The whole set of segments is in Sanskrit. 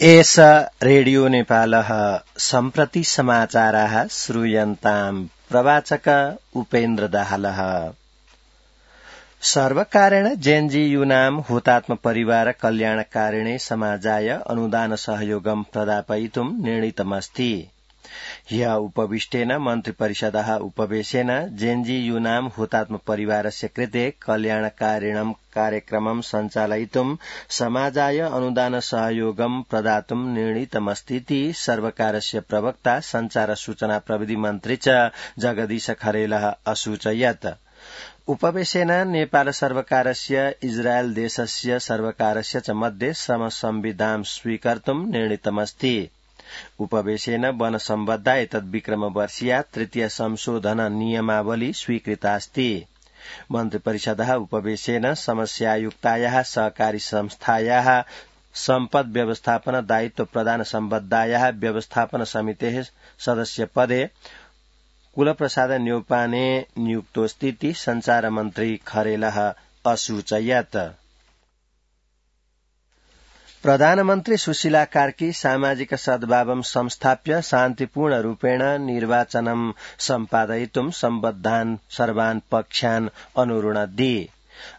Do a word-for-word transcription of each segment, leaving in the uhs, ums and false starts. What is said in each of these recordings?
एष रेडियो नेपालः सम्प्रति समाचाराः श्रूयन्ताम् प्रवाचक उपेन्द्र दाहालः। सर्वकारेण जेएनजीयूनां हुतात्म परिवार कल्याणकारिणे समाजाय अनुदान सहयोगं प्रदापयितुं निर्णीतमस्ति। ह्य उपविष्टेन मन्त्रिपरिषदः उपवेशेन जेएनजीयूनां हुतात्म परिवारस्य कृते कल्याणकारिणं कार्यक्रमं सञ्चालयितुं समाजाय अनुदान सहयोगं प्रदातुं निर्णीतमस्तीति सर्वकारस्य प्रवक्ता संचार सूचना प्रविधि मन्त्री च जगदीश खरेलः असूचयत्। उपवेशेन नेपाल सर्वकारस्य इजरायल देशस्य सर्वकारस्य च मध्ये समसंविधां स्वीकर्तुं निर्णीतमस्ति। उपवेशेन वन सम्बद्धा एतद् विक्रमवर्षीया तृतीय संशोधन नियमावली स्वीकृतास्ति। मन्त्रिपरिषदः उपवेशेन समस्यायुक्तायाः सहकारी संस्थायाः सम्पद व्यवस्थापन दायित्व प्रदान सम्बद्धायाः व्यवस्थापन समितेः सदस्य पदे कुलप्रसाद न्यौपाने नियुक्तोऽस्तीति संचार मन्त्री खरेलः असूचयत्। प्रधानमन्त्री सुशीला कार्की सामाजिक सद्भावं संस्थाप्य शान्तिपूर्ण रूपेण निर्वाचनं सम्पादयितुं सम्बद्धान् सर्वान् पक्षान् अनुरुणद्धि।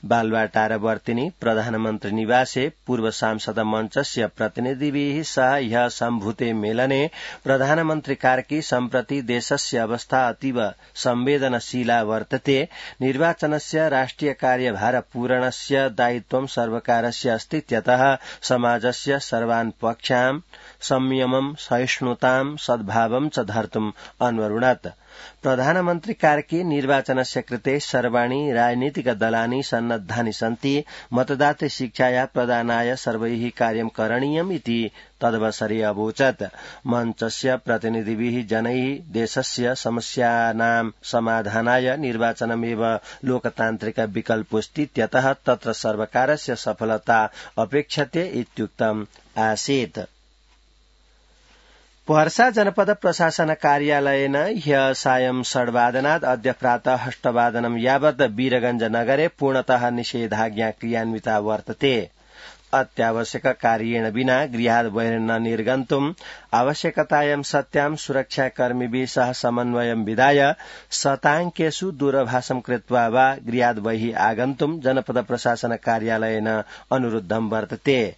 बालुवाटारवर्तिनी प्रधानमन्त्री निवासे पूर्व सांसद मञ्चस्य प्रतिनिधिभिः सह ह्यः सम्भूते मेलने प्रधानमन्त्री कार्की सम्प्रति देशस्य अवस्था अतीव संवेदनशीला वर्तते। निर्वाचनस्य राष्ट्रिय कार्यभार पूरणस्य दायित्वं सर्वकारस्य अस्तीत्यतः समाजस्य सर्वान् पक्षान् संयमं सहिष्णुतां सद्भावं च धर्तुम् अन्वरुणत्। प्रधानमन्त्री कार्की निर्वाचनस्य कृते सर्वाणि राजनीतिक दलानि सन्नद्धानि सन्ति। मतदाते शिक्षाया प्रदानाय सर्वैः कार्यं करणीयम् इति तदवसरे अवोचत्। मञ्चस्य प्रतिनिधिभिः जनैः देशस्य समस्यानां समाधानाय निर्वाचनमेव लोकतान्त्रिक विकल्पोऽस्तीत्यतः तत्र सर्वकारस्य सफलता अपेक्षते इत्युक्तम् आसीत्। पर्सा जनपद प्रशासन कार्यालयेन ह्यः सायं षड्वादनात् अद्य प्रातः अष्टवादनं यावत् वीरगंज नगरे पूर्णतः निषेधाज्ञा क्रियान्विता वर्तते। अत्यावश्यक कार्येण विना गृहात् बहिर् न निर्गन्तुम् आवश्यकतायां सत्यां सुरक्षाकर्मिभिः सह समन्वयं विधाय शताङ्केषु दूरभाषं कृत्वा वा गृहात् बहिः आगन्तुम् जनपद प्रशासन कार्यालयेन अनुरुद्धं वर्तते।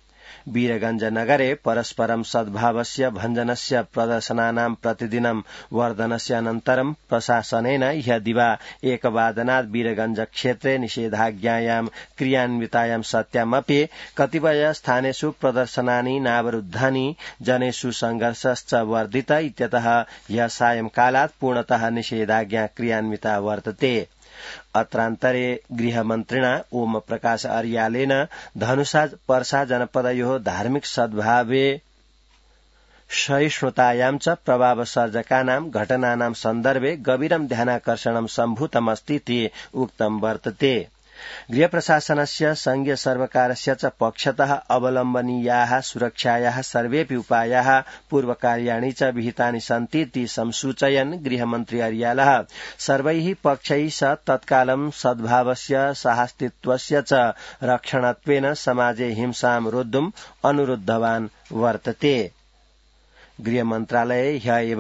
वीरगंज नगरे परस्परं सद्भावस्य भञ्जनस्य प्रदर्शनानां प्रतिदिनं वर्धनस्य अनन्तरं प्रशासनेन ह्यः दिवा एकवादनात् वीरगंज क्षेत्रे निषेधाज्ञायां क्रियान्वितायां सत्यामपि कतिपय स्थानेषु प्रदर्शनानि नावरुद्धानि जनेषु संघर्षश्च वर्धित इत्यतः ह्यः सायंकालात् पूर्णतः निषेधाज्ञा क्रियान्विता वर्तते। अत्रान्तरे गृहमन्त्रिणा ओम प्रकाश अर्यालेन धनुषा पर्सा जनपदयोः धार्मिक सद्भावे सहिष्णुतायां च प्रभावसर्जकानां घटनानां सन्दर्भे गभीरं ध्यानाकर्षणं सम्भूतमस्तीति उक्तं वर्तते। गृहप्रशासनस्य संघीय सर्वकारस्य च पक्षतः अवलम्बनीयाः सुरक्षायाः सर्वेऽपि उपायाः पूर्वकार्याणि च विहितानि सन्तीति संसूचयन् गृहमन्त्री अर्यालः सर्वैः पक्षैः सह तत्कालं सद्भावस्य साहस्तित्वस्य च रक्षणत्वेन समाजे हिंसां रोद्धुम् अनुरुद्धवान् वर्तते। गृहमन्त्रालये ह्यः एव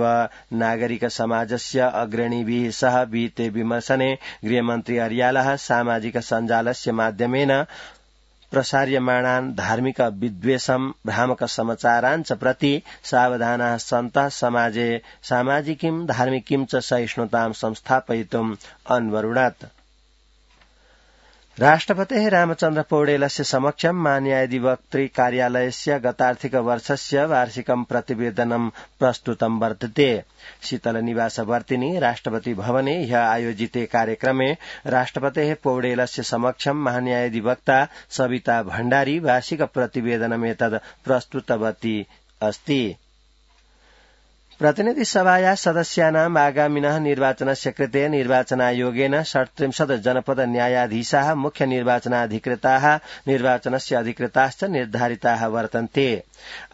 नागरिक समाजस्य अग्रणीभिः सह विहिते विमर्शने गृहमन्त्री अर्यालः सामाजिक सञ्जालस्य माध्यमेन प्रसार्यमाणान् धार्मिक विद्वेषं भ्रामक समाचारान् च प्रति सावधानाः सन्तः समाजे सामाजिकीं धार्मिकीं च सहिष्णुतां संस्थापयितुम् अन्वरुणत्। राष्ट्रपतेः रामचन्द्र पौडेलस्य समक्षं महान्यायाधिवक्तृ कार्यालयस्य गतार्थिक वर्षस्य वार्षिकं प्रतिवेदनं प्रस्तुतं वर्तते। शीतलनिवासवर्तिनी राष्ट्रपति भवने ह्यः आयोजिते कार्यक्रमे राष्ट्रपतेः पौडेलस्य समक्षं महान्यायाधिवक्ता सविता भण्डारी वार्षिक प्रतिवेदनमेतद् प्रस्तुतवती अस्ति। प्रतिनिधि सभाया सदस्यानाम् आगामिनः निर्वाचनस्य कृते निर्वाचनायोगेन षट्त्रिंशत् जनपद न्यायाधीशाः मुख्य निर्वाचनाधिकृताः निर्वाचनस्य अधिकृताश्च निर्धारिताः वर्तन्ते।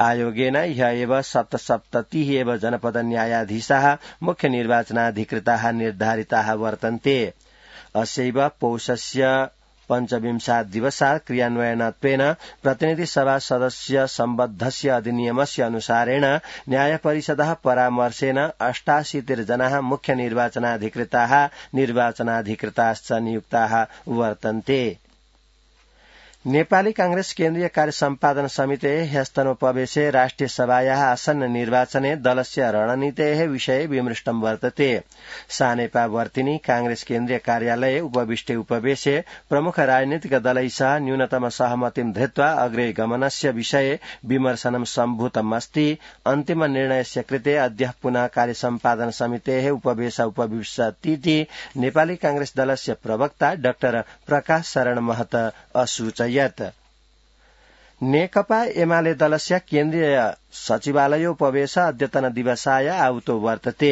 आयोगेन ह्यः एव सप्तसप्ततिः एव जनपद न्यायाधीशाः मुख्य निर्वाचनाधिकृताः निर्धारिताः वर्तन्ते। अस्यैव पौषस्य पञ्चविंशात् दिवसात् क्रियान्वयनत्वेन प्रतिनिधि सभा सदस्य सम्बद्धस्य अधिनियमस्य अनुसारेण न्यायपरिषदः परामर्शेन अष्टाशीतिर्जनाः मुख्य निर्वाचनाधिकृताः निर्वाचनाधिकृताश्च नियुक्ताः वर्तन्ते। नेपाली कांग्रेस केन्द्रीय कार्य सम्पादन समिते ह्यस्तनोपवेशे राष्ट्रिय सभायाः आसन्न निर्वाचने दलस्य रणनीतेः विषये विमृष्टं वर्तते। सानेपावर्तिनी कांग्रेस केन्द्रीय कार्यालये उपविष्टे उपवेशे प्रमुख राजनीतिक दलैः सह न्यूनतम सहमतिं धृत्वा अग्रे गमनस्य विषये विमर्शनं सम्भूतमस्ति। अन्तिम निर्णयस्य कृते अद्य पुनः कार्य सम्पादन समितेः उपवेश उपविशतीति नेपाली कांग्रेस दलस्य प्रवक्ता डाक्टर प्रकाश शरण महत असूचयत्। नेकपा एमाले दलस्य केन्द्रीय सचिवालयोपवेश अद्यतन दिवसाय आहुतो वर्तते।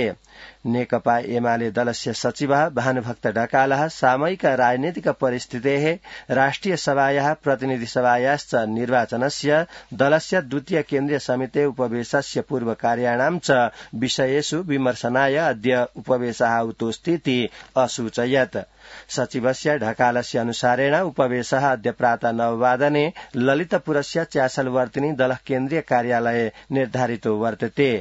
नेकपा एमाले दलस्य सचिवः भानुभक्त ढकालः सामयिक राजनीतिक परिस्थितेः राष्ट्रिय सभायाः प्रतिनिधि सभायाश्च निर्वाचनस्य दलस्य द्वितीय केन्द्रीय समिते उपवेशस्य पूर्वकार्याणां च विषयेषु विमर्शनाय अद्य उपवेशः आहुतोऽस्तीति असूचयत्। सचिवस्य ढकालस्य अनुसारेण उपवेशः अद्य प्रातः नववादने ललितपुरस्य च्यासलवर्तिनी दलः केन्द्रीय कार्यालये निर्धारितो वर्तते।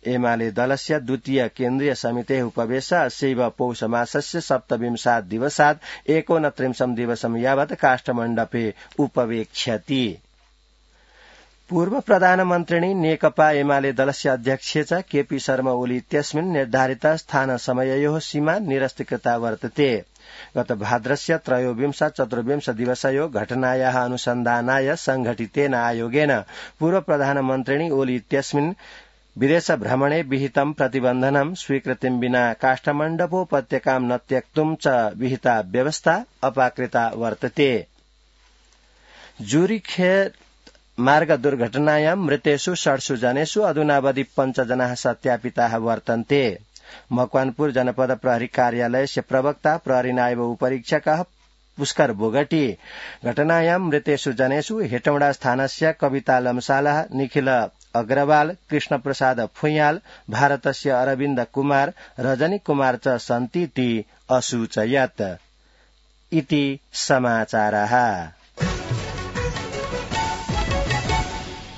एमाले दलस्य द्वितीय केन्द्रीय समितेः उपवेश अस्यैव पौषमासस्य सप्तविंशात् दिवसात् एकोनत्रिंशं दिवसं यावत् काष्ठमण्डपे उपवेक्ष्यति। पूर्व प्रधानमन्त्रिणी नेकपा एमाले दलस्य अध्यक्षे च केपी शर्मा ओली इत्यस्मिन् निर्धारित स्थान समययोः सीमा निरस्तीकृता वर्तते। गत भाद्रस्य त्रयोविंश चतुर्विंश दिवसयो घटनायाः अनुसन्धानाय संघटितेन आयोगेन पूर्व प्रधानमन्त्रिणी ओली इत्यस्मिन् विदेश भ्रमणे विहितं प्रतिबन्धनं स्वीकृतिं विना काष्ठमण्डपोपत्यकां न त्यक्तुं च विहिता व्यवस्था अपाकृता वर्तते। जूरिखेत मार्ग दुर्घटनायां मृतेषु षड्सु जनेषु अधुनावधि पञ्चजनाः सत्यापिताः वर्तन्ते। मकवानपुर जनपद प्रहरी कार्यालयस्य प्रवक्ता प्रहरी नायब उपरीक्षकः पुष्कर बोगटी घटनायां मृतेषु जनेषु हेटौडा स्थानस्य कविता लम्सालः निखिल अग्रवाल कृष्ण प्रसाद फुयाल भारतस्य अरविन्द कुमार रजनी कुमार च सन्तीति असूचयत्। इति समाचारः।